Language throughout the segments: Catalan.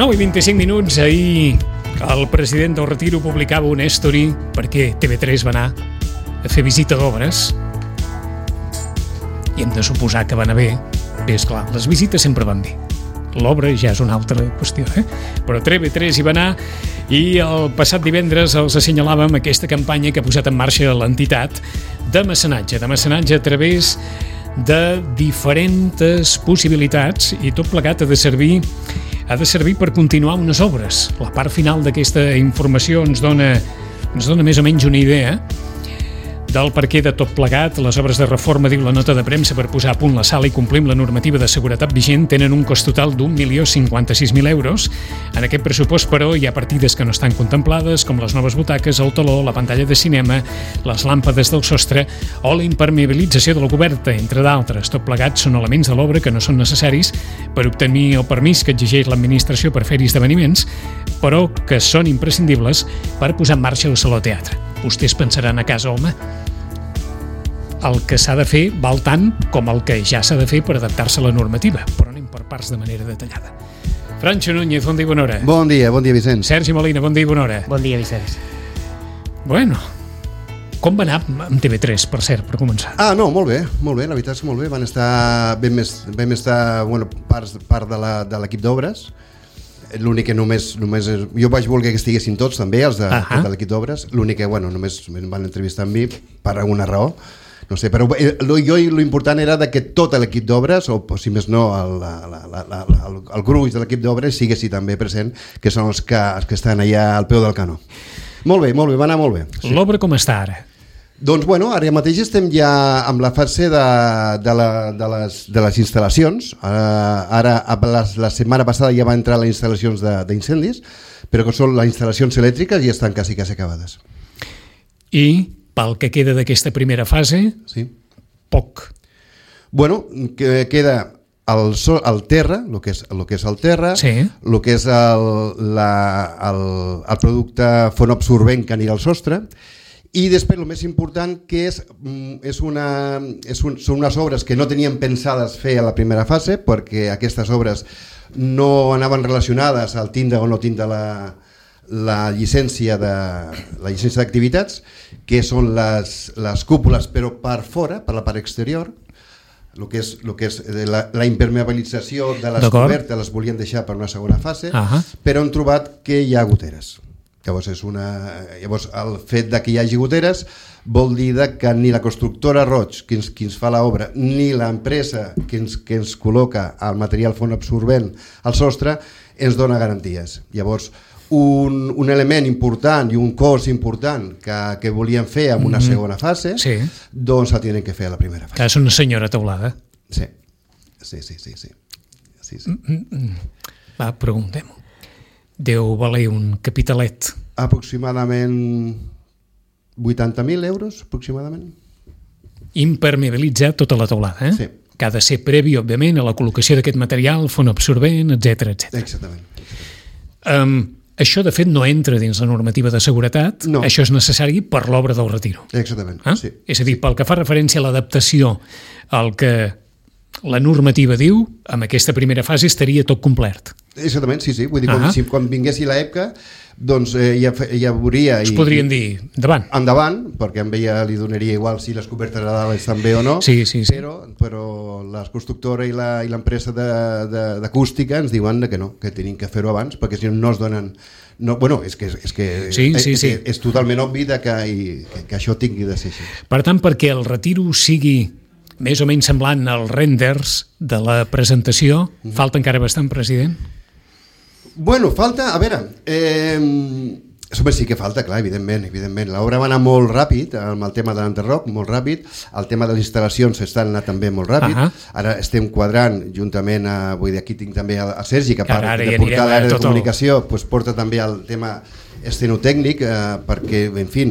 9:25, ahir el president del Retiro publicava una story perquè TV3 va anar a fer visita d'obres i hem de suposar que va anar bé. Bé, esclar, les visites sempre van bé. L'obra ja és una altra qüestió, Però TV3 hi va anar i el passat divendres els assenyalàvem aquesta campanya que ha posat en marxa l'entitat de mecenatge a través de diferents possibilitats, i tot plegat ha de servir per continuar unes obres. La part final d'aquesta informació ens dona més o menys una idea del perquè de tot plegat. Les obres de reforma, diu la nota de premsa, per posar a punt la sala i complir amb la normativa de seguretat vigent tenen un cost total d'1.056.000 euros. En aquest pressupost, però, hi ha partides que no estan contemplades, com les noves butaques, el taló, la pantalla de cinema, les làmpades del sostre o la impermeabilització de la coberta, entre d'altres. Tot plegat són elements de l'obra que no són necessaris per obtenir el permís que exigeix l'administració per fer-hi esdeveniments, però que són imprescindibles per posar en marxa el Saló Teatre. Vostès pensaran a casa, home, el que s'ha de fer val tant com el que ja s'ha de fer per adaptar-se a la normativa, però anem per parts de manera detallada. Francho Núñez, bon dia i bona hora. Bon dia, Vicenç. Sergi Molina, bon dia i bona hora. Bon dia, Vicenç. Bueno, com va anar amb TV3, per cert, per començar? No, molt bé, la veritat és que molt bé. Vam estar part de l'equip d'obres. L'únic que només jo vaig voler que estiguessin tots també, els de l'equip d'obres. L'únic que, només em van entrevistar amb mi per alguna raó. No sé, però l'important era que tot l'equip d'obres, o si més no el gruix de l'equip d'obres, siguessi també present, que són els que estan allà al peu del canó. Molt bé, va anar molt bé. Sí. L'obra com està ara? Doncs ara mateix estem ja amb la fase de les instal·lacions. Ara la setmana passada ja va entrar les instal·lacions d'incendis, però que són les instal·lacions elèctriques i estan quasi acabades. I pel que queda d'aquesta primera fase, sí. Poc. Queda el terra, el que és el terra, sí. El que és el producte fonoabsorbent que anirà al sostre, i després el més important que són unes obres que no teníem pensades fer a la primera fase, perquè aquestes obres no anaven relacionades al tindre o no tindre la llicència d'activitats, que són les cúpules, però per fora, per la part exterior. El que és la impermeabilització de les cobertes les volien deixar per una segona fase, però hem trobat que hi ha goteres. Llavors el fet que hi hagi goteres vol dir que ni la constructora Roig, que ens fa l'obra, ni l'empresa que ens col·loca el material fonoabsorbent al sostre ens dona garanties. Llavors un element important i un cost important que volíem fer en una segona fase, doncs el tenen que fer a la primera fase. Que és una senyora teulada. Sí. Va, preguntem-ho. Deu valer un capitalet. Aproximadament 80.000 euros, aproximadament. Impermeabilitzar tota la teulada, Sí. Que ha de ser previ, òbviament, a la col·locació d'aquest material, fonoabsorbent, etc. Exactament. Això, de fet, no entra dins la normativa de seguretat. No. Això és necessari per l'obra del Retiro. Exactament, sí. És a dir, pel que fa referència a l'adaptació al que la normativa diu, amb aquesta primera fase estaria tot complert. Exactament, sí. Vull dir, quan vinguessi l'època, doncs ja veuria... Es podrien dir, endavant, perquè a ella li donaria igual si les cobertes de dalt estan bé o no, sí. però la constructora i l'empresa d'acústica ens diuen que no, que tenim que fer-ho abans, perquè si no es donen... És totalment obvi que això tingui de ser així. Per tant, perquè el Retiro sigui més o menys semblant als renders de la presentació, falta encara bastant, president? Falta, a veure, sí que falta, clar, evidentment. L'obra va anar molt ràpid, amb el tema de l'enderroc, molt ràpid, el tema de les instal·lacions està anant també molt ràpid, ara estem quadrant juntament, vull dir, aquí tinc també a Sergi, que a part de portar l'àrea de comunicació, porta també el tema estenotècnic, perquè, en fi,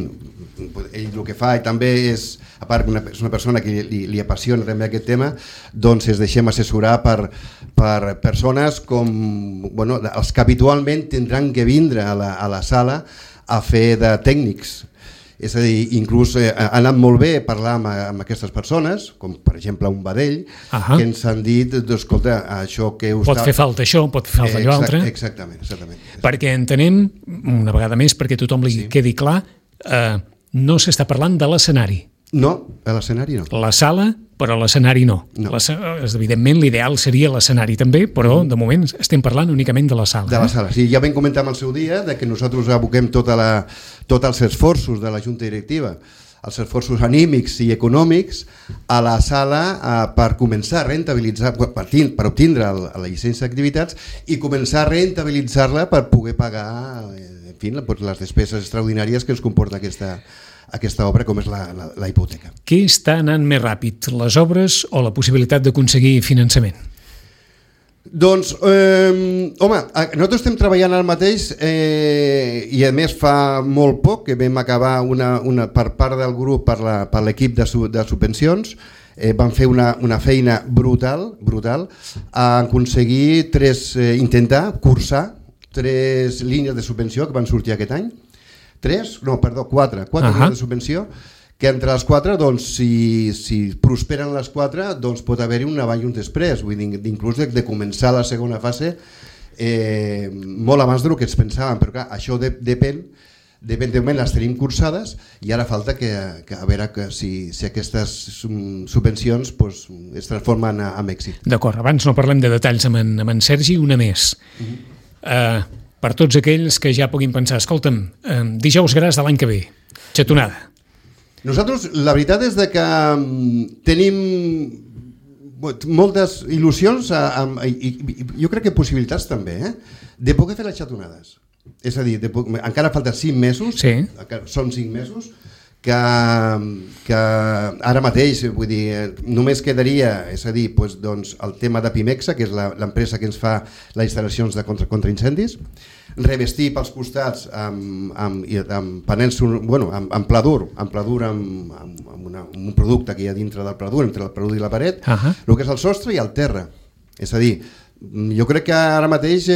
ell el que fa també és, a part que és una persona que li apassiona també aquest tema, doncs es deixem assessorar per persones com els que habitualment tindran que vindre a la sala a fer de tècnics És a dir, inclús ha anat molt bé parlar amb aquestes persones, com per exemple un Badell, que ens han dit, escolta, això que... Pot fer falta això, pot fer falta allò altre. Exactament. Perquè entenem, una vegada més, perquè tothom li quedi clar, no s'està parlant de l'escenari. No, a l'escenari no. La sala, però l'escenari no. Evidentment, l'ideal seria l'escenari també, però de moment estem parlant únicament de la sala. De la sala, sí. Ja vam comentar el seu dia que nosaltres aboquem tots els esforços de la Junta Directiva, els esforços anímics i econòmics a la sala per començar a rentabilitzar, per obtindre la llicència d'activitats i començar a rentabilitzar-la per poder pagar les despeses extraordinàries que ens comporta aquesta obra, com és la hipoteca. Què està anant més ràpid, les obres o la possibilitat d'aconseguir finançament? Doncs, home, nosaltres estem treballant al mateix i a més fa molt poc que vam acabar per part del grup, per l'equip de subvencions, van fer una feina brutal a aconseguir intentar cursar 3 línies de subvenció que van sortir aquest any. 4 línies de subvenció, que entre les 4, doncs, si prosperen les 4, doncs pot haver-hi un avall i un després, vull dir, inclús de començar la segona fase molt abans del que ens pensàvem, però clar, això depèn de moment les tenim cursades i ara falta que a veure si aquestes subvencions es transformen en èxit. D'acord, abans no parlem de detalls amb en Sergi, una més. Per tots aquells que ja puguin pensar, escolta'm, dijous gras de l'any que ve, xatonada. Nosaltres, la veritat és que tenim moltes il·lusions i jo crec que possibilitats també, de poder fer les xatonades. És a dir, encara falta 5 mesos, són 5 mesos, que ara mateix, vull dir, només quedaria, és a dir, el tema de Pimexa, que és l'empresa que ens fa les instal·lacions contra incendis, revestir pels costats amb panels, amb pladur, amb un producte que hi ha dintre del pladur, entre el pladur i la paret, el que és el sostre i el terra. És a dir, jo crec que ara mateix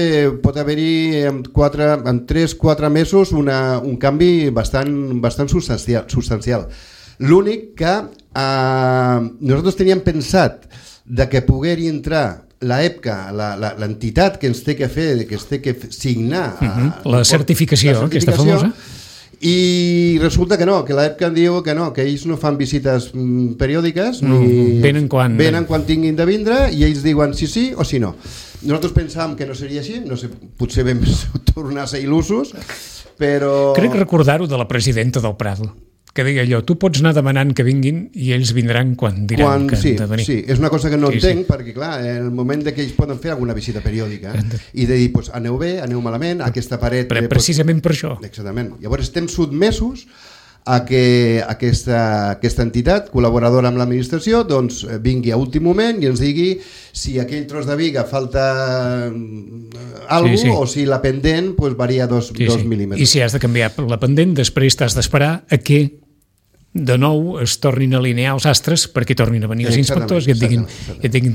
pot haver-hi en 3-4 mesos un canvi bastant substancial. L'únic que nosaltres teníem pensat que pogués entrar l'EPCA, l'entitat que ens té que fer, que ens té que signar la certificació, aquesta famosa, i resulta que no, que l'EPCA diu que no, que ells no fan visites periòdiques, venen quan tinguin de vindre i ells diuen sí o sí no. Nosaltres pensàvem que no seria així, no sé, potser vam tornar a ser il·lusos, però... Crec recordar-ho de la presidenta del Prado, que deia allò, tu pots anar demanant que vinguin i ells vindran quan diran que han de venir. Sí, és una cosa que no entenc, perquè clar, en el moment que ells poden fer alguna visita periòdica i de dir, aneu bé, aneu malament, aquesta paret... Precisament per això. Exactament. Llavors estem sotmesos a que aquesta entitat col·laboradora amb l'administració doncs vingui a últim moment i ens digui si aquell tros de viga falta alguna cosa o si la pendent varia 2 mil·límetres. I si has de canviar la pendent, després t'has d'esperar a que de nou es tornin a alinear els astres perquè tornin a venir els inspectors i et diguin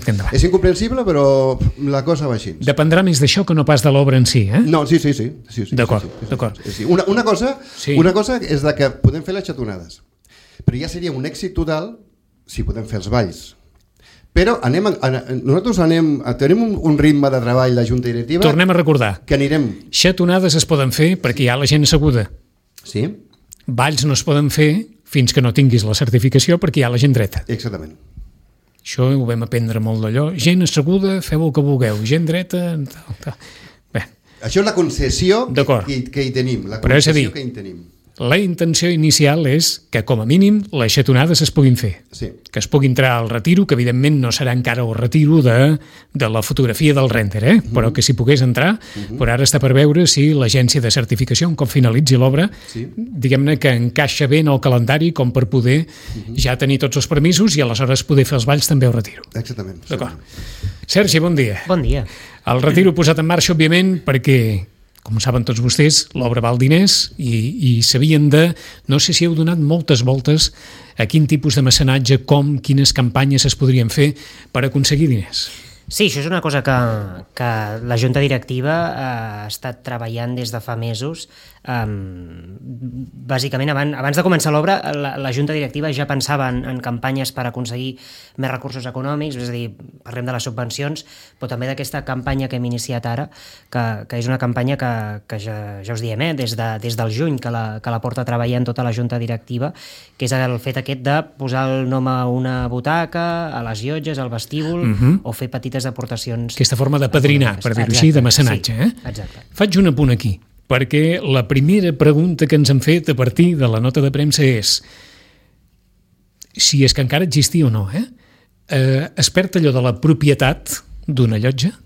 que endavant. És incomprensible, però la cosa va així. Dependrà més d'això que no pas de l'obra en si, eh? No, sí. D'acord. Una cosa és que podem fer les xatonades, però ja seria un èxit total si podem fer els balls. Però nosaltres tenim un ritme de treball, la Junta Directiva... Tornem a recordar. Que anirem... Xatonades es poden fer perquè hi ha la gent asseguda. Sí. Balls no es poden fer fins que no tinguis la certificació perquè hi ha la gent dreta. Exactament. Això ho vam aprendre molt d'allò. Gent asseguda, feu el que vulgueu. Gent dreta... Bé. Això és la concessió que hi tenim. La concessió que hi tenim. La intenció inicial és que, com a mínim, les xatonades es puguin fer. Sí. Que es pugui entrar al retiro, que evidentment no serà encara el retiro de la fotografia del render, però que si pogués entrar, però ara està per veure si l'agència de certificació, un cop finalitzi l'obra, diguem-ne que encaixa bé en el calendari com per poder ja tenir tots els permisos i aleshores poder fer els balls també al retiro. Exactament. D'acord. Sergi, bon dia. Bon dia. El retiro posat en marxa, òbviament, perquè... com saben tots vostès, l'obra val diners i s'havien de... No sé si heu donat moltes voltes a quin tipus de mecenatge, quines campanyes es podrien fer per aconseguir diners. Sí, això és una cosa que la Junta Directiva ha estat treballant des de fa mesos. Bàsicament, abans de començar l'obra, la Junta Directiva ja pensava en campanyes per aconseguir més recursos econòmics, és a dir, parlem de les subvencions, però també d'aquesta campanya que hem iniciat ara, que és una campanya que ja us diem, des del juny, que la porta treballant tota la Junta Directiva, que és el fet aquest de posar el nom a una butaca, a les llotges, al vestíbul, o fer petites aportacions. Aquesta forma de padrinar, per dir-ho així, de mecenatge. Sí, exacte. Faig un apunt aquí, perquè la primera pregunta que ens han fet a partir de la nota de premsa és si és que encara existia o no. Es perd allò de la propietat d'una llotja?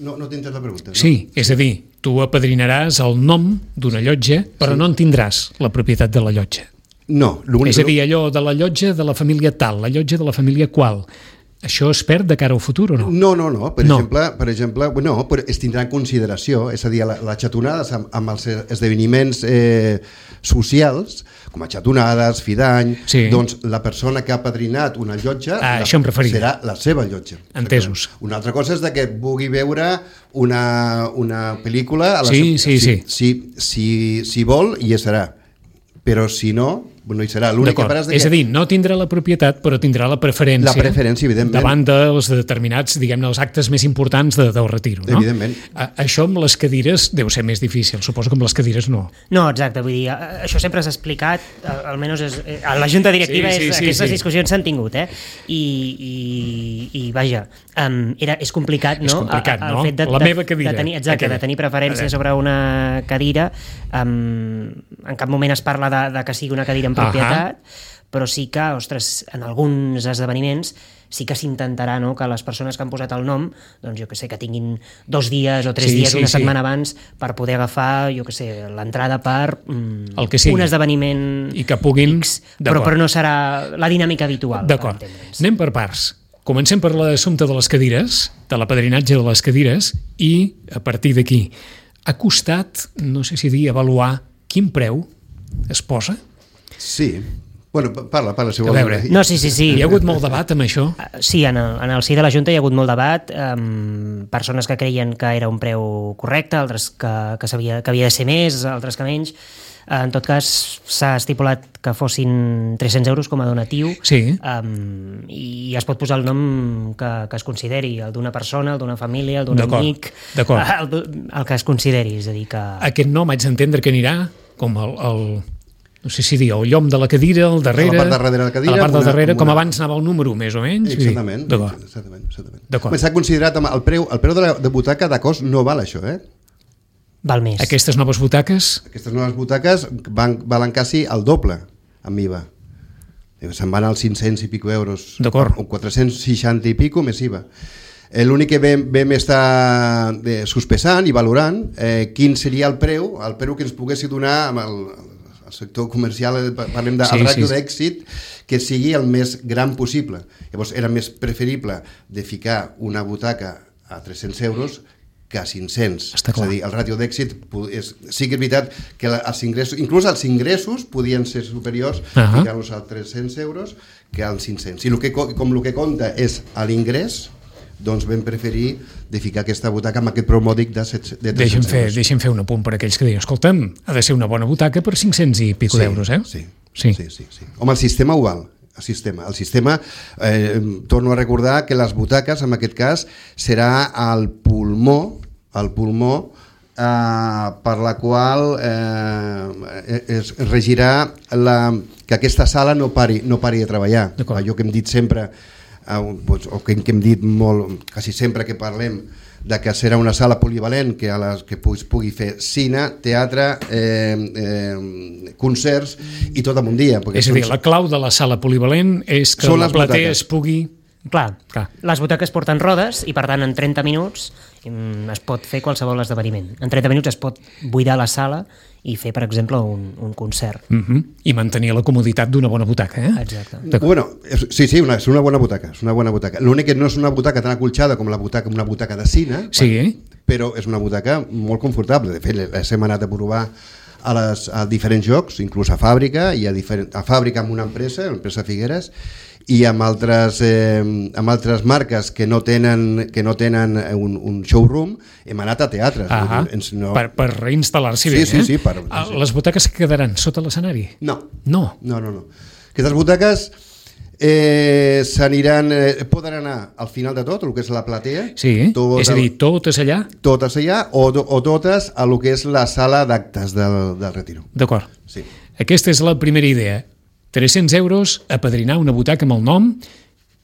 No t'he entès la pregunta. No? Sí, és a dir, tu apadrinaràs el nom d'una llotja, però no en tindràs la propietat de la llotja. No. És a dir, allò de la llotja de la família tal, la llotja de la família qual. Això es perd de cara al futur o no? No. Per exemple, no, però es tindrà en consideració, és a dir, les xatonades amb els esdeveniments socials, com a xatonades, fi d'any, doncs la persona que ha padrinat una llotja serà la seva llotja. Entesos. Una altra cosa és que vulgui veure una pel·lícula a la si vol, hi serà, però si no hi serà. És a dir, no tindrà la propietat, però tindrà la preferència. La preferència, evidentment. Davant dels determinats, diguem-ne, els actes més importants del retiro, no? Evidentment. Això amb les cadires deu ser més difícil, suposo que amb les cadires no. No, exacte, vull dir, això sempre s'ha explicat, almenys a la Junta Directiva aquestes discussions s'han tingut, i vaja, és complicat, no? És complicat, no? El fet la meva cadira. De tenir preferència sobre una cadira, en cap moment es parla de que sigui una cadira en propietat, però sí que, ostres, en alguns esdeveniments sí que s'intentarà, no?, que les persones que han posat el nom, doncs jo que sé, que tinguin 2 dies o 3 dies, una setmana abans, per poder agafar, jo que sé, l'entrada per un esdeveniment i que puguin, X, però no serà la dinàmica habitual. D'acord, anem per parts. Comencem per l'assumpte de les cadires, de l'apadrinatge de les cadires, i a partir d'aquí ha costat, no sé si dir, avaluar quin preu es posa? Sí. Bueno, parla, si vols. A veure. No, sí. Hi ha hagut molt debat amb això? Sí, en el si de la Junta hi ha hagut molt debat, persones que creien que era un preu correcte, altres que havia de ser més, altres que menys. En tot cas, s'ha estipulat que fossin 300 euros com a donatiu, i es pot posar el nom que es consideri, el d'una persona, el d'una família, el d'un amic, el que es consideri. És a dir, que... Aquest nom haig d'entendre que anirà com no sé si dir, el llom de la cadira, al darrere... A la part darrere de la cadira. A la part del darrere, com abans anava el número, més o menys. Exactament. S'ha considerat el preu de butaca de cost no val això, Val més. Aquestes noves butaques? Aquestes noves butaques valen quasi el doble amb IVA. Se'n van als 500 i pico euros. D'acord. O 460 i pico més IVA. L'únic que vam estar sospesant i valorant quin seria el preu que ens poguessi donar amb el sector comercial, parlem del ràtio d'èxit, que sigui el més gran possible. Llavors era més preferible de ficar una butaca a 300 euros que a 500. És a dir, el ràtio d'èxit sí que és veritat que els ingressos, inclús els ingressos podien ser superiors ficar-los a 300 euros que als 500. I com el que compta és l'ingrés, doncs vam preferir de ficar aquesta butaca amb aquest preu mòdic de 300 euros. Deixem fer un apunt per aquells que diuen, escolta'm, ha de ser una bona butaca per 500 i pico d'euros, Sí. Home, el sistema ho val. El sistema, torno a recordar que les butaques, en aquest cas, serà el pulmó per la qual es regirà que aquesta sala no pari de treballar. Allò que hem dit sempre, o que hem dit molt, quasi sempre que parlem, de que serà una sala polivalent que pugui fer cine, teatre, concerts i tot en un dia. És a dir, la clau de la sala polivalent és que la platea es pugui... Clar, les butaques porten rodes i per tant en 30 minuts es pot fer qualsevol esdeveniment. En 30 minuts es pot buidar la sala i fer, per exemple, un concert. I mantenir la comoditat d'una bona butaca, Exacte. Bueno, sí, és una bona butaca. L'únic que no és una butaca tan acolxada com una butaca de cine, però és una butaca molt confortable. De fet, hem anat a provar a diferents llocs, inclús a fàbrica, i a fàbrica amb una empresa Figueres, i amb altres marques que no tenen un showroom hem anat a teatres. Per reinstal·lar-s'hi bé. Sí. Les butaques que quedaran sota l'escenari? No. Aquestes butaques poden anar al final de tot, el que és la platea. Sí, és a dir, totes allà? Totes allà o totes a el que és la sala d'actes del Retiro. D'acord. Sí. Aquesta és la primera idea. 300 euros, apadrinar una butaca amb el nom.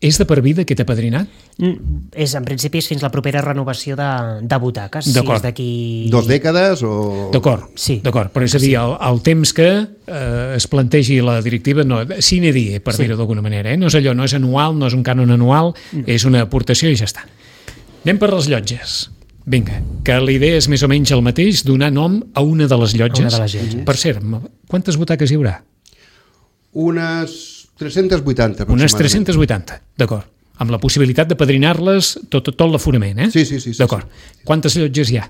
És de per vida aquest apadrinat? En principi és fins la propera renovació de butaques. D'acord. Si és d'aquí... 2 dècades o... D'acord, sí. D'acord. Però és a dir, el temps que es plantegi la directiva, no, sine die, per dir-ho d'alguna manera. No és allò, no és anual, no és un cànon anual, és una aportació i ja està. Anem per les llotges. Vinga, que la idea és més o menys el mateix, donar nom a una de les llotges. Per cert, quantes butaques hi haurà? Unes 380 aproximadament. Unes 380, d'acord. Amb la possibilitat de padrinar-les tot l'aforament, eh? Sí. D'acord. Quantes llotges hi ha?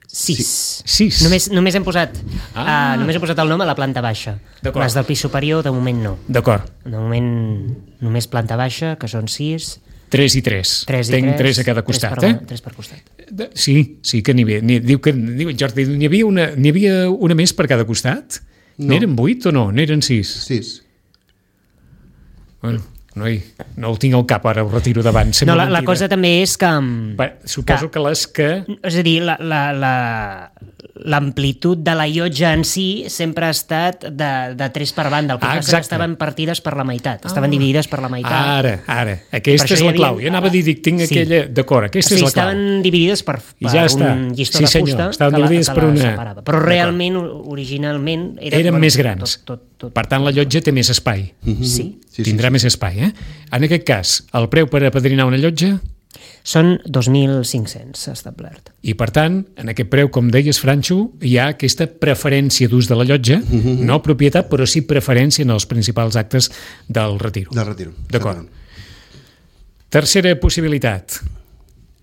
6. Només hem posat el nom a la planta baixa. Les del pis superior, de moment no. D'acord. De moment només planta baixa, que són 6. 3 i 3. Tenc 3 a cada costat, 3 per costat. Sí que n'hi havia. Diu Jordi, n'hi havia una més per cada costat? No. N'eren 8 o no? N'eren 6? 6. Bueno, no ho tinc al cap, ara ho retiro davant. No, la cosa també és que... Suposo que les que... És a dir, l'amplitud de la llotja en si sempre ha estat de 3 per banda. El que passa que estaven partides per la meitat. Estaven dividides per la meitat. Ara. Aquesta és la clau. Jo anava a dir, tinc aquella... D'acord, aquesta és la clau. Estaven dividides per un llistó de fusta estaven dividides per una... separava. Però realment, originalment... Eren més grans. Per tant, la llotja té més espai. Sí. Tindrà més espai, eh? En aquest cas, el preu per apadrinar una llotja... Són 2.500, s'ha establert. I, per tant, en aquest preu, com deies, Franxo, hi ha aquesta preferència d'ús de la llotja, no propietat, però sí preferència en els principals actes del Retiro. Del Retiro. D'acord. Tercera possibilitat.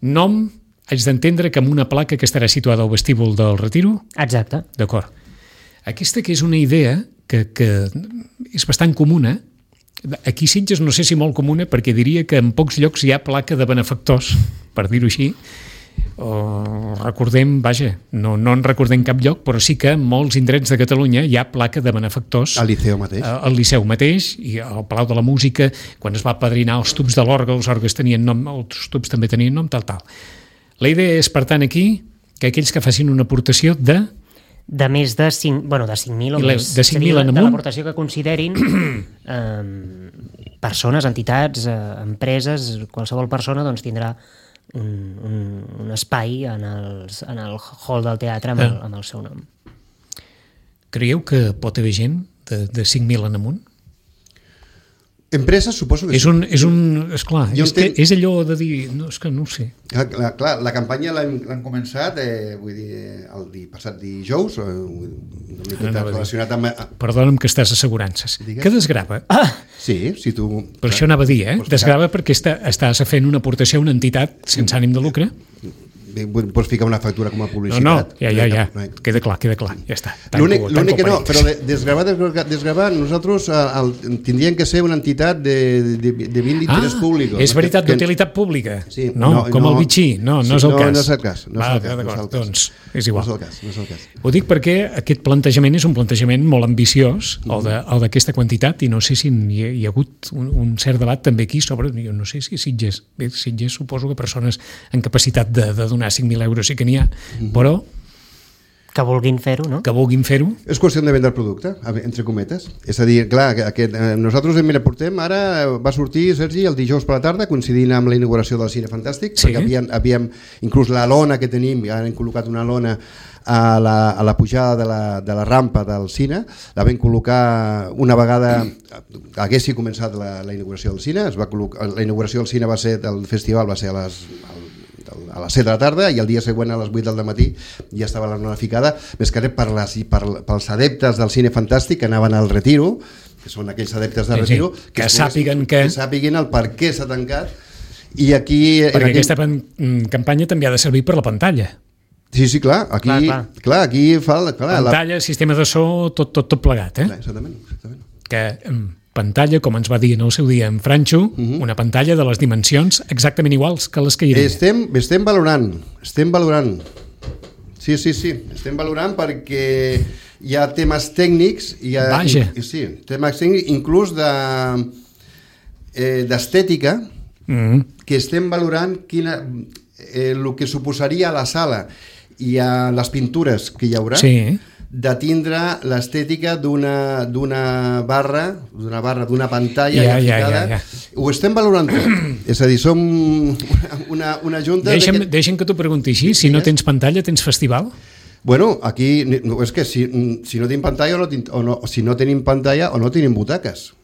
Nom, haig d'entendre que amb una placa que estarà situada al vestíbul del Retiro? Exacte. D'acord. Aquesta que és una idea que és bastant comuna. Aquí a Sitges no sé si molt comuna, perquè diria que en pocs llocs hi ha placa de benefactors, per dir-ho així. Recordem, no en recordem cap lloc, però sí que en molts indrets de Catalunya hi ha placa de benefactors. Al Liceu mateix. Al Liceu mateix, i al Palau de la Música, quan es va apadrinar els tubs de l'orgue, els orgues tenien nom, els tubs també tenien nom, tal. La idea és, per tant, aquí, que aquells que facin una aportació de més de 5.000 o més. De 5.000 en amunt? De l'aportació que considerin persones, entitats, empreses, qualsevol persona doncs, tindrà un espai en el hall del teatre amb el seu nom. Creieu que pot haver gent de 5.000 en amunt? Empreses, suposo que és allò de dir... No, és que no ho sé. Clar, la campanya l'han començat el passat dijous, relacionat amb... Perdona'm que estàs assegurances. Digues. Que desgrava? Sí, si tu... Per això anava a dir, desgrava perquè estàs fent una aportació a una entitat sense ànim de lucre. Pots ficar una factura com a publicitat. No, ja. Queda clar, ja està. L'únic que no, però desgravar, nosaltres tindríem que ser una entitat de vint interès públic. És veritat, d'utilitat pública. Sí, com el bitxí. No és el cas. No és el cas. D'acord, doncs és igual. No és el cas. Ho dic perquè aquest plantejament és un plantejament molt ambiciós, el d'aquesta quantitat, i no sé si hi ha hagut un cert debat també aquí sobre, jo no sé si Sitges suposo que persones en capacitat de donar 5.000 euros sí que n'hi ha, però... Que vulguin fer-ho, no? Que vulguin fer-ho. És qüestió de vendre el producte, entre cometes. És a dir, clar, nosaltres portem, ara va sortir, Sergi, el dijous per la tarda, coincidint amb la inauguració del Cine Fantàstic, perquè havíem inclús la lona que tenim, ja hem col·locat una lona a la pujada de la rampa del cine, la vam col·locar una vegada haguessi començat la inauguració del cine, la inauguració del cine del festival va ser a les 7 de la tarda i el dia següent a les 8 del matí ja estava la lona ficada, més que res pels adeptes del Cine Fantàstic que anaven al Retiro, que són aquells adeptes del Retiro, que sàpiguen el per què s'ha tancat. I aquí... Perquè aquesta campanya també ha de servir per la pantalla. Sí, clar. Aquí fa... Pantalla, sistema de so, tot plegat, Exactament. Que pantalla, com ens va dir en el seu dia en Franxo, una pantalla de les dimensions exactament iguals que les que hi havia. Estem valorant. Sí, estem valorant perquè hi ha temes tècnics, temes tècnics inclús d'estètica, que estem valorant el que suposaria a la sala i a les pintures que hi haurà, de tindre l'estètica d'una barra, d'una pantalla ficada. Ho estem valorant tot. És a dir, som una junta... Deixa'm que t'ho pregunti així, si no tens pantalla, tens festival? Bueno, aquí és que si no tenim pantalla si no tenim pantalla o no tenim butaques.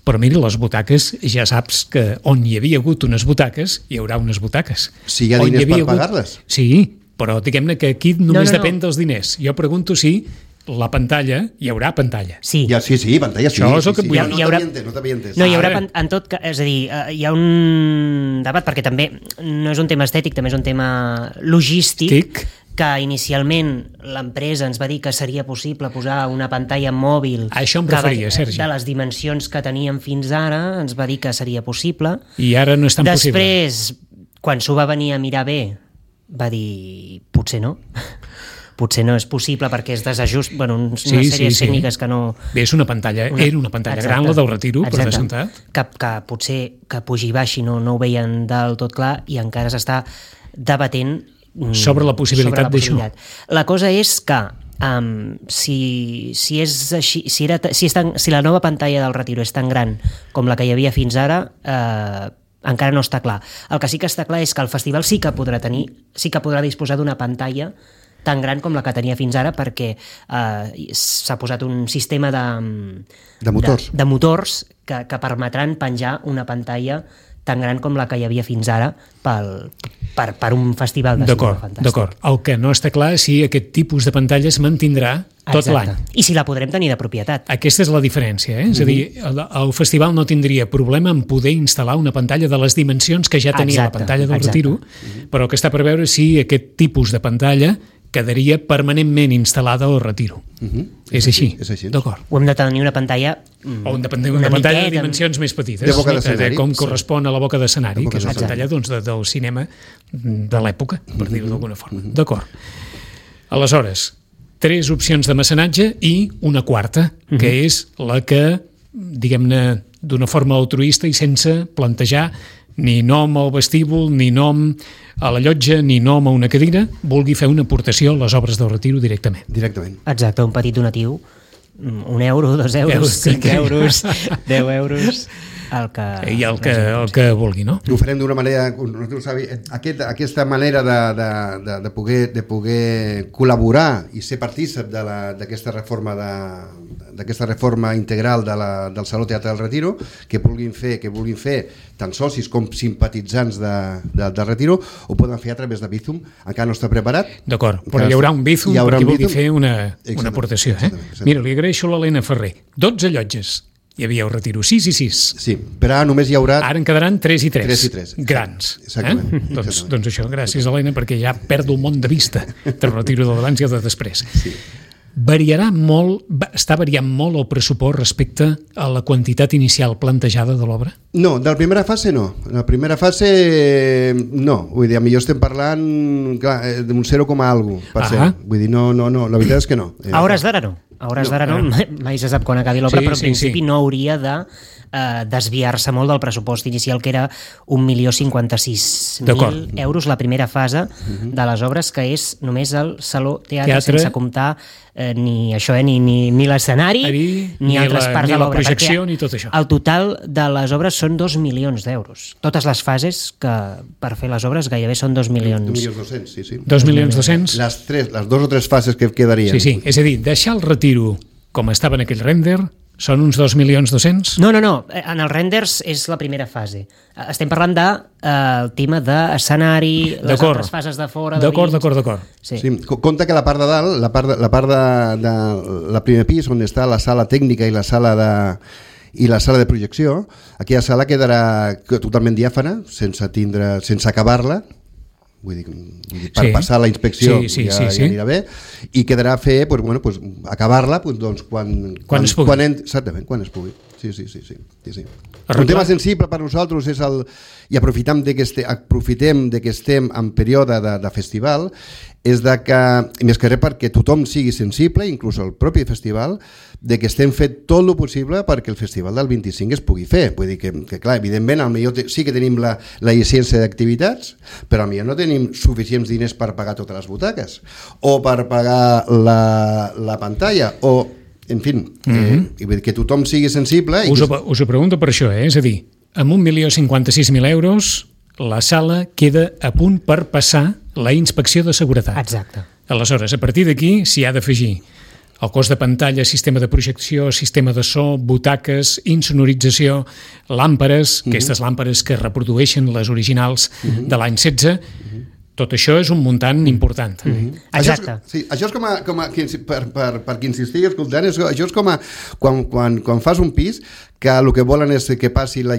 Però mira, les butaques, ja saps que on hi havia hagut unes butaques, hi haurà unes butaques. Si hi ha diners per pagar-les. Sí, però diguem-ne que aquí només depèn dels diners. Jo pregunto si la pantalla, hi haurà pantalla. Sí, pantalla sí. Això és el que vull. No t'havia entès. No, hi haurà en tot cas, és a dir, hi ha un debat, perquè també no és un tema estètic, també és un tema logístic, que inicialment l'empresa ens va dir que seria possible posar una pantalla mòbil de les dimensions que teníem fins ara, ens va dir que seria possible. I ara no és tan possible. Després, quan s'ho va venir a mirar bé, va dir, potser no. Potser no és possible perquè és desajust, una sèrie de tècniques que no... Bé, és una pantalla, era una pantalla gran, la del Retiro, per descomptat. Que potser que pugi i baixi no ho veien del tot clar i encara s'està debatent sobre la possibilitat d'això. La cosa és que si és així, si la nova pantalla del Retiro és tan gran com la que hi havia fins ara, encara no està clar. El que sí que està clar és que el festival sí que podrà disposar d'una pantalla tan gran com la que tenia fins ara, perquè s'ha posat un sistema de motors que permetran penjar una pantalla tan gran com la que hi havia fins ara per un festival de cinema fantàstic. D'acord. El que no està clar és si aquest tipus de pantalla es mantindrà tot l'any. I si la podrem tenir de propietat. Aquesta és la diferència, És a dir, el festival no tindria problema en poder instal·lar una pantalla de les dimensions que ja tenia la pantalla del Retiro, però que està per veure si aquest tipus de pantalla quedaria permanentment instal·lada al Retiro. És així? D'acord. O hem de tenir una pantalla... O hem de tenir una pantalla de dimensions més petites, com correspon a la boca d'escenari, que és una pantalla del cinema de l'època, per dir-ho d'alguna forma. D'acord. Aleshores, 3 opcions de mecenatge i una quarta, que és la que, diguem-ne, d'una forma altruista i sense plantejar ni nom al vestíbul, ni nom a la llotja, ni nom a una cadira, vulgui fer una aportació a les obres del Retiro directament. Exacte, un petit donatiu, 1 euro, 2 euros, 5 euros, 10 euros... el que vulgui, no? Ho farem d'una manera, aquesta manera de poder col·laborar i ser partícip d'aquesta reforma integral del Saló Teatre del Retiro, que vulguin fer tant socis com simpatitzants del Retiro, ho poden fer a través de Bizum. Encara no està preparat. D'acord, però hi haurà un Bizum per qui vulgui fer una aportació. Mira, li agraeixo a l'Helena Ferrer. 12 llotges. Hi havia el Retiro 6 i 6. Sí, però ara només hi haurà... Ara en quedaran 3 i 3. 3 i 3. Grans. Exactament. Doncs això, gràcies, Helena, perquè ja perdo el món de vista del Retiro de l'abans i el de després. Sí. Està variant molt el pressupost respecte a la quantitat inicial plantejada de l'obra? No, de la primera fase no. En la primera fase no. Vull dir, millor estem parlant d'un 0,1%. Vull dir, no, la veritat és que no. A hores d'ara no. A hores d'ara no, mai se sap quan acabi l'obra, però en principi no hauria de desviar-se molt del pressupost inicial, que era 1.056.000 euros la primera fase de les obres, que és només el Saló Teatre. Sense comptar ni això, ni l'escenari, ni altres parts de l'obra. Ni la projecció, ni tot això. El total de les obres són 2 milions d'euros. Totes les fases que per fer les obres gairebé són 2 milions. 2.200.000, sí. 2.200.000? Les 2 o 3 fases que quedarien. Sí, és a dir, deixar el Retiro com estava en aquell render són uns 2.200.000? No, en els renders és la primera fase. Estem parlant del tema d'escenari, les altres fases de fora, de dins... D'acord. Sí, compte que la part de dalt, la part de la primer pis, on està la sala tècnica i la sala de projecció, aquella sala quedarà totalment diàfana, sense acabar-la, vull dir per passar la inspecció sí. anirà bé, i quedarà fer acabar-la quan es pugui. Exactament, quan es pugui. Sí. Un tema sensible per nosaltres és i aprofitem de que estem en període de festival, és que, més que res perquè tothom sigui sensible, inclús el propi festival, de que estem fent tot el possible perquè el festival del 25 es pugui fer. Vull dir que clar, evidentment, sí que tenim la llicència d'activitats, però potser no tenim suficients diners per pagar totes les butaques, o per pagar la pantalla, o en fi, que tothom sigui sensible. Us ho pregunto per això, és a dir, amb 1.056.000 euros la sala queda a punt per passar la inspecció de seguretat. Exacte. Aleshores, a partir d'aquí s'hi ha d'afegir el cost de pantalla, sistema de projecció, sistema de so, butaques, insonorització, làmperes, aquestes làmperes que reprodueixen les originals de l'any 16, tot això és un muntant important. Exacte. Això és per qui ens estigui escoltant, això és com quan fas un pis que el que volen és que passi la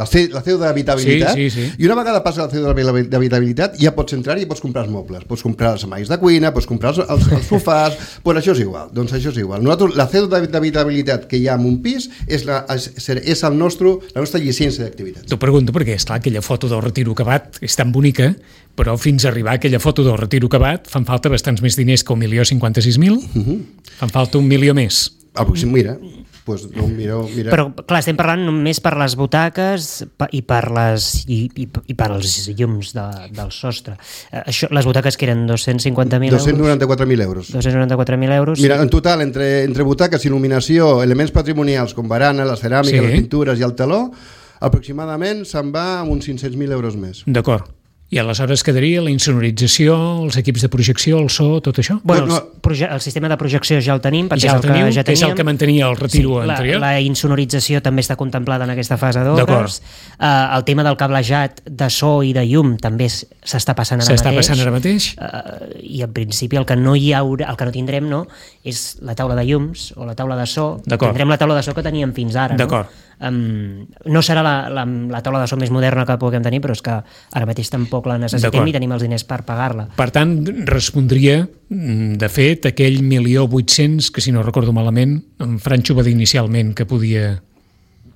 CEU d'habitabilitat, i una vegada passa la CEU d'habitabilitat ja pots entrar i pots comprar els mobles, pots comprar els armaris de cuina, pots comprar els sofàs, doncs això és igual. Nosaltres, la CEU d'habitabilitat que hi ha en un pis és la nostra llicència d'activitat. T'ho pregunto perquè, esclar, aquella foto del retiro acabat és tan bonica, però fins a arribar a aquella foto del retiro acabat fan falta bastants més diners que 1.056.000, fan falta 1 milió més. Mira, mira. Però clar, estem parlant només per les butaques i per els llums del sostre. Les butaques que eren 250.000 euros? 294.000 euros. 294.000 euros. Mira, en total, entre butaques, il·luminació, elements patrimonials com barana, les ceràmiques, les pintures i el teló, aproximadament se'n va amb uns 500.000 euros més. D'acord. I aleshores quedaria la insonorització, els equips de projecció, el so, tot això? Bueno, el sistema de projecció ja el tenim, perquè és el que mantenia el retiro anterior. La insonorització també està contemplada en aquesta fase d'obres. El tema del cablejat de so i de llum també s'està passant ara mateix. I en principi el que no tindrem és la taula de llums o la taula de so. Tindrem la taula de so que teníem fins ara. D'acord. No serà la taula de so més moderna que puguem tenir, però és que ara mateix tampoc la necessitem i tenim els diners per pagar-la. Per tant, respondria, de fet, aquell 1.800.000 que, si no recordo malament, en Franxo va dir inicialment que podia...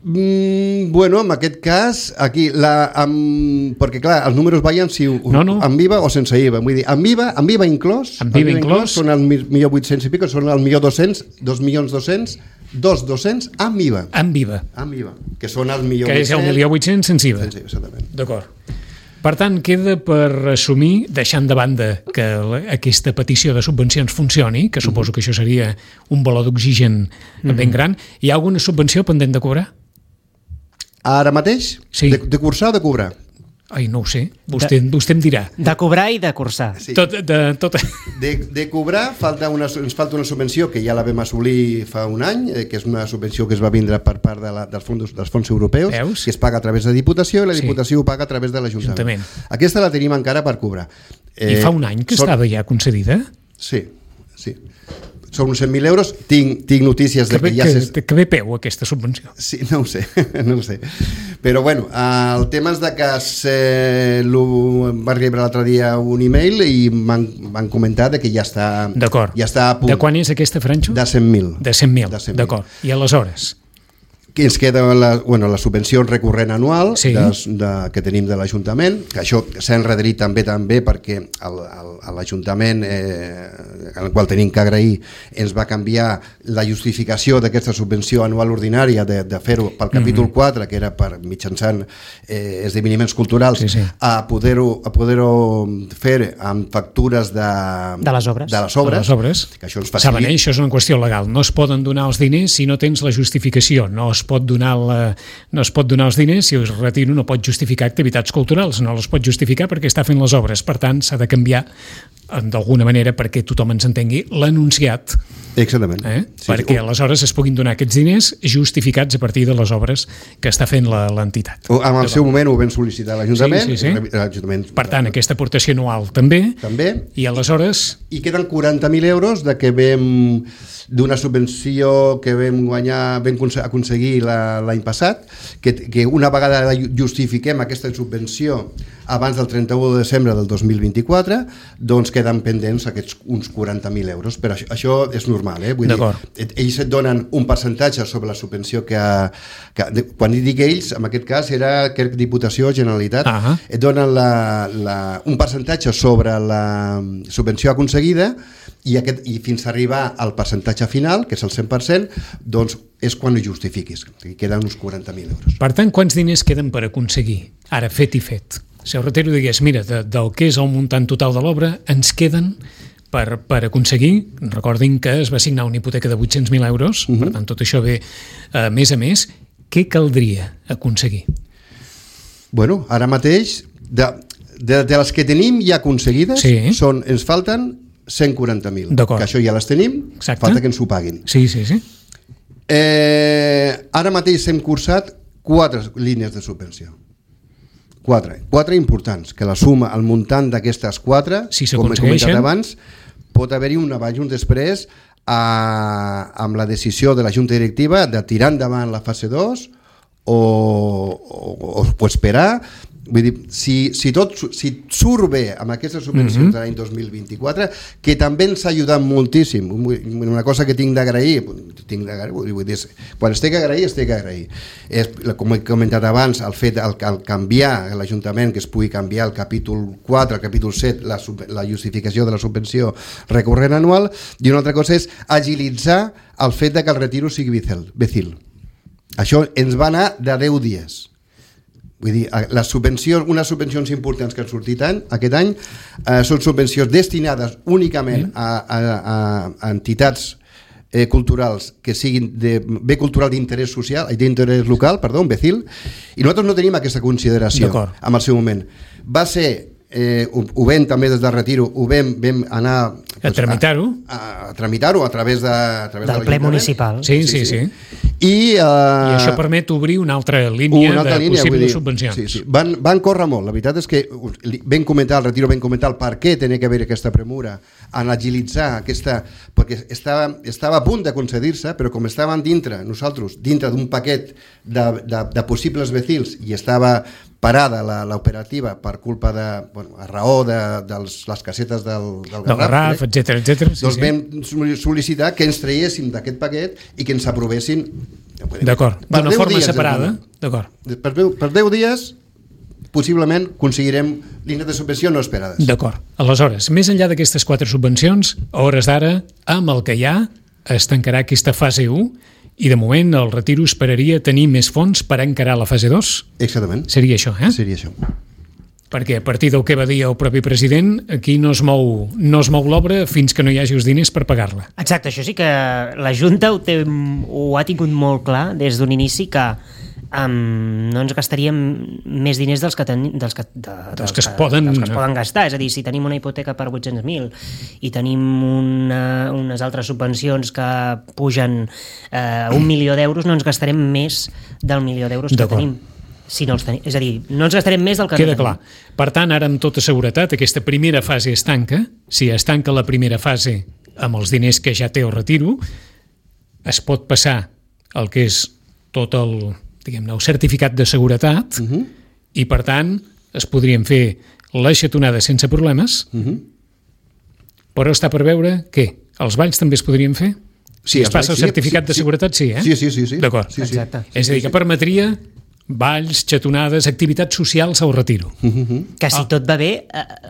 En aquest cas, aquí, perquè clar, els números veien si amb IVA o sense IVA. Vull dir, amb IVA inclòs, són el 1.800.000 i pico, són el 1.200.000, 2.200.000 amb IVA. Amb IVA. Que són el 1.800.000. Que és el 1.800.000 sense IVA. Exactament. D'acord. Per tant, queda per assumir, deixant de banda que aquesta petició de subvencions funcioni, que suposo que això seria un baló d'oxigen ben gran, hi ha alguna subvenció pendent de cobrar? Ara mateix? Sí. De cursar o de cobrar? Ai, no ho sé, vostè em dirà. De cobrar i de cursar. Sí. De cobrar ens falta una subvenció que ja la vam assolir fa un any, que és una subvenció que es va vindre per part dels fons europeus. Veus? Que es paga a través de Diputació i la Diputació ho paga a través de l'Ajuntament. Aquesta la tenim encara per cobrar. I fa un any que estava ja concedida? Sí. Són uns 100.000 euros, tinc notícies de que ja... Que bé peu aquesta subvenció. Sí, no ho sé. Però bueno, el tema és de que va rebre l'altre dia un e-mail i m'han comentat que ja està... D'acord. Ja està a punt. De quan és aquesta, Franxo? De 100.000. De 100.000, d'acord. I aleshores? Que ens queda la subvenció recurrent anual que tenim de l'Ajuntament, que això s'ha enrederit també perquè l'Ajuntament, al qual tenim que agrair, ens va canviar la justificació d'aquesta subvenció anual ordinària de fer-ho pel capítol 4, que era per mitjançant esdeveniments culturals, a poder-ho fer amb factures de les obres. Que això ens facilita. Saben, això és una qüestió legal. No es poden donar els diners si no tens la justificació. No es pot donar els diners si es retiro, no pot justificar activitats culturals, no les pot justificar perquè està fent les obres. Per tant, s'ha de canviar d'alguna manera perquè tothom ens entengui l'enunciat. Exactament. Perquè aleshores es puguin donar aquests diners justificats a partir de les obres que està fent l'entitat. En el seu moment ho vam sol·licitar a l'Ajuntament. Per tant, aquesta aportació anual també. I aleshores i queden 40.000 euros d'una subvenció que vam aconseguir l'any passat, que una vegada justifiquem aquesta subvenció abans del 31 de desembre del 2024, doncs queden pendents uns 40.000 euros. Però això és normal, vull dir, ells et donen un percentatge sobre la subvenció quan dic ells, en aquest cas era Diputació, Generalitat, et donen un percentatge sobre la subvenció aconseguida i fins a arribar al percentatge final, que és el 100%, doncs és quan ho justifiquis. Queden uns 40.000 euros. Per tant, quants diners queden per aconseguir? Ara, fet i fet. Si el Retiro digués, mira, del que és el muntant total de l'obra, ens queden per aconseguir, recordin que es va signar una hipoteca de 800.000 euros, per tant, tot això ve a més, què caldria aconseguir? Bueno, ara mateix, de les que tenim ja aconseguides, ens falten 140.000, que això ja les tenim, falta que ens ho paguin. Sí. Ara mateix hem cursat 4 línies de subvenció. 4 importants, que la suma, el muntant d'aquestes 4, com he comentat abans, pot haver-hi un abans i un després amb la decisió de la Junta Directiva de tirar endavant la fase 2 o esperar. Vull dir, si surt bé amb aquestes subvencions de l'any 2024, que també ens ha ajudat moltíssim, una cosa que tinc d'agrair, vull dir, quan estic a agrair, com he comentat abans, el fet al canviar l'Ajuntament, que es pugui canviar el capítol 4, el capítol 7, la justificació de la subvenció recurrent anual, i una altra cosa és agilitzar el fet que el retiro sigui becil. Això ens va anar de 10 dies. Vull dir, unes subvencions importants que han sortit aquest any són subvencions destinades únicament a entitats culturals que siguin de bé cultural d'interès social, d'interès local, perdó, becil, i nosaltres no tenim aquesta consideració en el seu moment. Va ser, ho vam també des del Retiro, ho vam anar a tramitar-ho a través del ple municipal. Sí. I això permet obrir una altra línia de possibles subvencions. Sí. Van córrer molt. La veritat és que vam comentar al Retiro, el per què tenia que haver aquesta premura en agilitzar aquesta, perquè estava a punt de concedir-se, però com estàvem nosaltres dintre d'un paquet de possibles becils i estava parada l'operativa per culpa a raó de les casetes del Garraf, etcètera. Doncs vam sol·licitar que ens traiéssim d'aquest paquet i que ens aprovessin d'una forma separada. Per 10 dies possiblement aconseguirem línies de subvenció no esperades. D'acord. Aleshores, més enllà d'aquestes 4 subvencions, a hores d'ara, amb el que hi ha, es tancarà aquesta fase 1 i de moment el Retiro esperaria tenir més fons per encarar la fase 2? Exactament. Seria això, Seria això. Perquè a partir del que va dir el propi president, aquí no es mou l'obra fins que no hi hagi els diners per pagar-la. Exacte, això sí que la Junta ho ha tingut molt clar des d'un inici, que no ens gastaríem més diners dels que es poden gastar. És a dir, si tenim una hipoteca per 800.000 i tenim unes altres subvencions que pugen 1 milió d'euros, no ens gastarem més del milió d'euros que tenim. Si no els tenim. És a dir, no ens gastarem més del que queda clar. Per tant, ara amb tota seguretat aquesta primera fase es tanca. Si es tanca la primera fase amb els diners que ja té el Retiro, es pot passar el que és tot el certificat de seguretat i per tant es podrien fer les xatonades sense problemes, però està per veure què? Els balls també es podrien fer? Si es passa el certificat de seguretat, sí, eh? Sí. D'acord. Exacte. És a dir, que permetria balls, xatonades, activitats socials al Retiro. Que si tot va bé,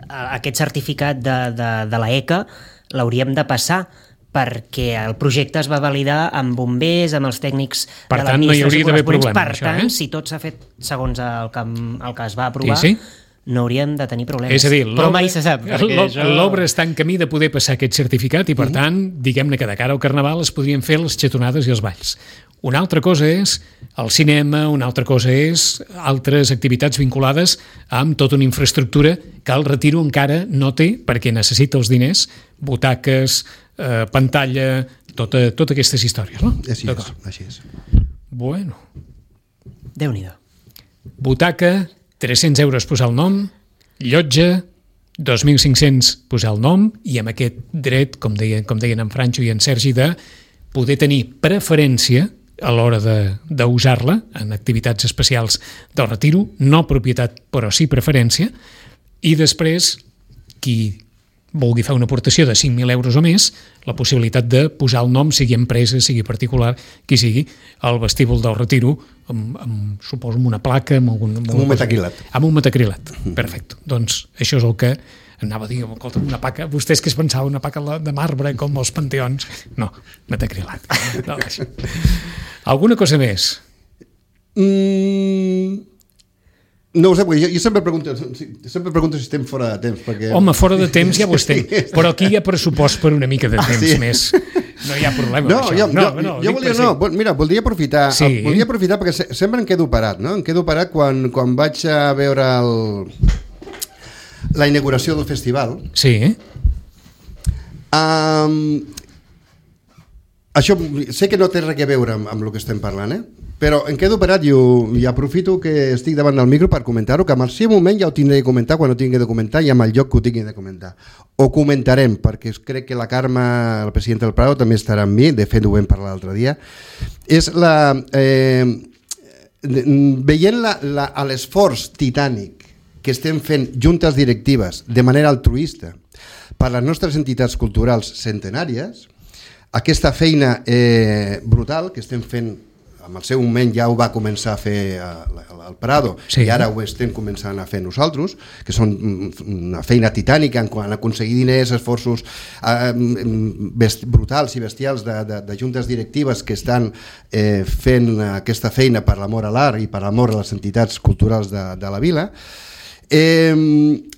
aquest certificat de la ECA l'hauríem de passar, perquè el projecte es va validar amb bombers, amb els tècnics de l'administració corresponents. Per tant, si tot s'ha fet segons el que es va aprovar, no hauríem de tenir problemes. És a dir, però mai se sap. L'obra està en camí de poder passar aquest certificat i, per tant, diguem-ne que de cara al Carnaval es podrien fer les xatonades i els balls. Una altra cosa és el cinema, una altra cosa és altres activitats vinculades amb tota una infraestructura que el Retiro encara no té perquè necessita els diners, butaques, pantalla, totes aquestes històries, no? Així és. Bueno. Déu-n'hi-do. Butaca, 300 euros posar el nom, llotja, 2.500 posar el nom i amb aquest dret, com deien en Francho i en Sergi, de poder tenir preferència a l'hora d'usar-la en activitats especials del retiro, no propietat però sí preferència, i després qui vulgui fer una aportació de 5.000 euros o més, la possibilitat de posar el nom, sigui empresa, sigui particular, qui sigui, al vestíbul del retiro, suposo amb una placa, amb un metacrilat. Amb un metacrilat, perfecte. Doncs això és el que anava a dir, una paca, vostès que es pensava una paca de marbre com els panteons? No, metacrilat. No, alguna cosa més? No ho sé, jo sempre pregunto si estem fora de temps. Perquè... Home, fora de temps ja ho estem, però aquí hi ha pressupost per una mica de temps més. No hi ha problema amb això. Mira, voldria aprofitar perquè sempre em quedo parat, no? Em quedo parat quan vaig a veure la inauguració del festival. Sí. Això sé que no té res a veure amb el que estem parlant, però em quedo parat i aprofito que estic davant del micro per comentar-ho, que en el seu moment ja ho tindré de comentar quan ho tingui de comentar i amb el lloc que ho tingui de comentar. Ho comentarem, perquè crec que la Carme, la presidenta del Prado, també estarà amb mi, de fet ho vam parlar l'altre dia. És veient l'esforç titànic que estem fent juntes directives de manera altruista per les nostres entitats culturals centenàries, aquesta feina brutal que estem fent, en el seu moment ja ho va començar a fer el Prado, i ara ho estem començant a fer nosaltres, que són una feina titànica en quant a aconseguir diners, esforços brutals i bestials de juntes directives que estan fent aquesta feina per l'amor a l'art i per l'amor a les entitats culturals de la vila.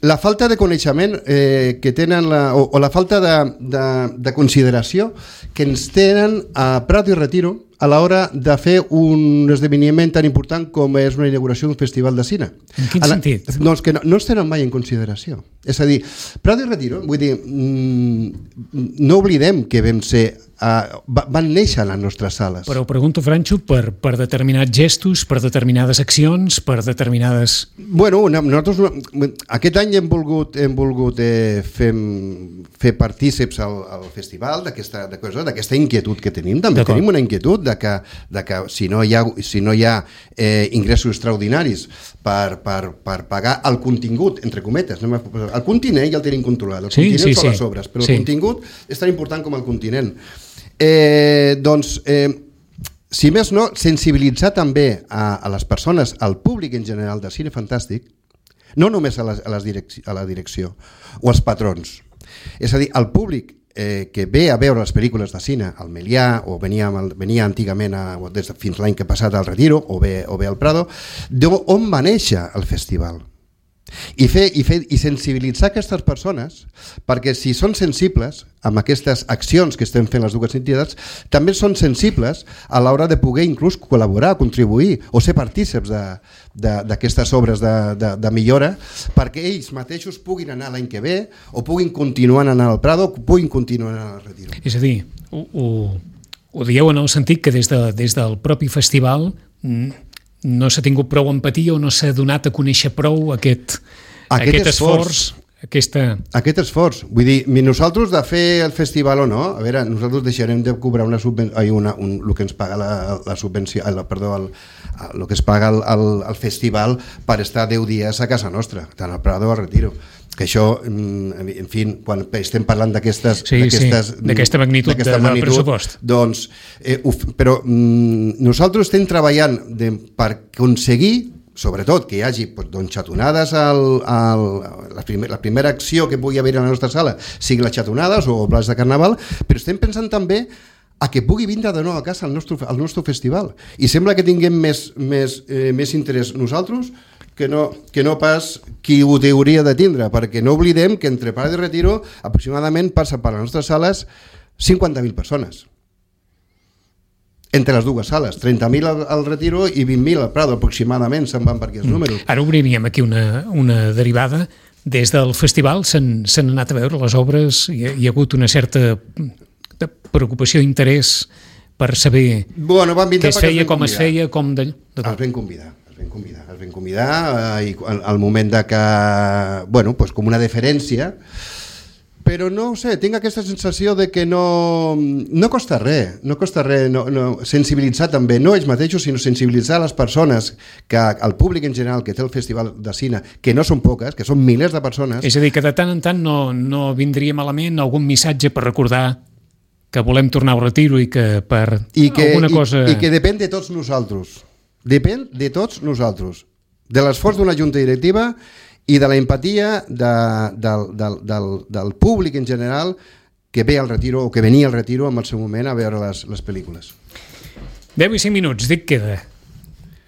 La falta de coneixement que tenen o la falta de consideració que ens tenen a Prado i Retiro a l'hora de fer un esdeveniment tan important com és una inauguració d'un festival de cine. En quin sentit? Doncs que no es tenen mai en consideració. És a dir, Prado i Retiro, vull dir, no oblidem que van néixer a les nostres sales. Però ho pregunto, Francho, per determinats gestos, per determinades accions, per determinades... Bueno, nosaltres aquest any hem volgut fer partíceps al festival d'aquesta inquietud que tenim. També tenim una inquietud de que si no hi ha ingressos extraordinaris per pagar el contingut, entre cometes, el continent ja el tenim controlat, el continent són les obres, però el contingut és tan important com el continent. Si més no, sensibilitzar també a les persones, al públic en general de cine fantàstic, no només a la direcció o als patrons, és a dir, al públic que ve a veure les pel·lícules de cine al Melià, o venia antigament fins l'any que ha passat al Retiro, o bé al Prado, d'on va néixer el festival. I sensibilitzar aquestes persones, perquè si són sensibles amb aquestes accions que estem fent les dues entitats, també són sensibles a l'hora de poder inclús col·laborar, contribuir o ser partíceps d'aquestes obres de millora, perquè ells mateixos puguin anar l'any que ve o puguin continuar anant al Prado o puguin continuar anant al Retiro. És a dir, ho dieu en el sentit que des del propi festival no s'ha tingut prou empatia o no s'ha donat a conèixer prou aquest esforç, aquest esforç. Vull dir, nosaltres de fer el festival o no, a veure, nosaltres deixarem de cobrar una subvenció, el que ens paga la subvenció, el que es paga al festival per estar 10 dies a casa nostra, tant al Prado o al Retiro. Que això, en fi, quan estem parlant d'aquesta magnitud de pressupost. Doncs, però nosaltres estem treballant per aconseguir, sobretot, que hi hagi xatonades, la primera acció que pugui haver a la nostra sala sigui les xatonades o plats de carnaval, però estem pensant també a que pugui vindre de nou a casa al nostre festival. I sembla que tinguem més interès nosaltres que no pas qui ho hauria de tindre, perquè no oblidem que entre Prado i Retiro aproximadament passa per les nostres sales 50.000 persones. Entre les dues sales, 30.000 al Retiro i 20.000 al Prado, aproximadament se'n van per aquests números. Ara obriríem aquí una derivada. Des del festival s'han anat a veure les obres, hi ha hagut una certa preocupació, interès per saber què es feia, com es feia, com... Els vam convidar. Es van convidar i al moment de que, bueno, pues com una deferència, però no ho sé, tinc aquesta sensació de que no costa res, sensibilitzar també, no ells mateixos, sinó sensibilitzar les persones, que el públic en general que té el Festival de Cine, que no són poques, que són milers de persones. És a dir, que de tant en tant no vindria malament algun missatge per recordar que volem tornar al retiro i que per alguna cosa... I que depèn de tots nosaltres. Depèn de tots nosaltres, de l'esforç d'una junta directiva i de la empatia del públic en general que ve al retiro o que venia al retiro en el seu moment a veure les pel·lícules. 10 i 5 minuts, dic queda.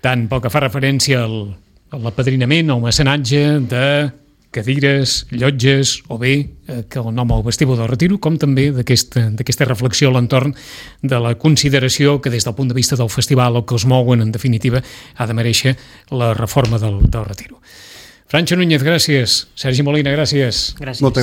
Tant pel que fa referència a l'apadrinament, al mecenatge de cadires, llotges o bé que el nom al vestíbul del retiro, com també d'aquesta reflexió a l'entorn de la consideració que des del punt de vista del festival o que els mouen en definitiva ha de mereixer la reforma del retiro. Francho Núñez, gràcies. Sergi Molina, gràcies. Gràcies.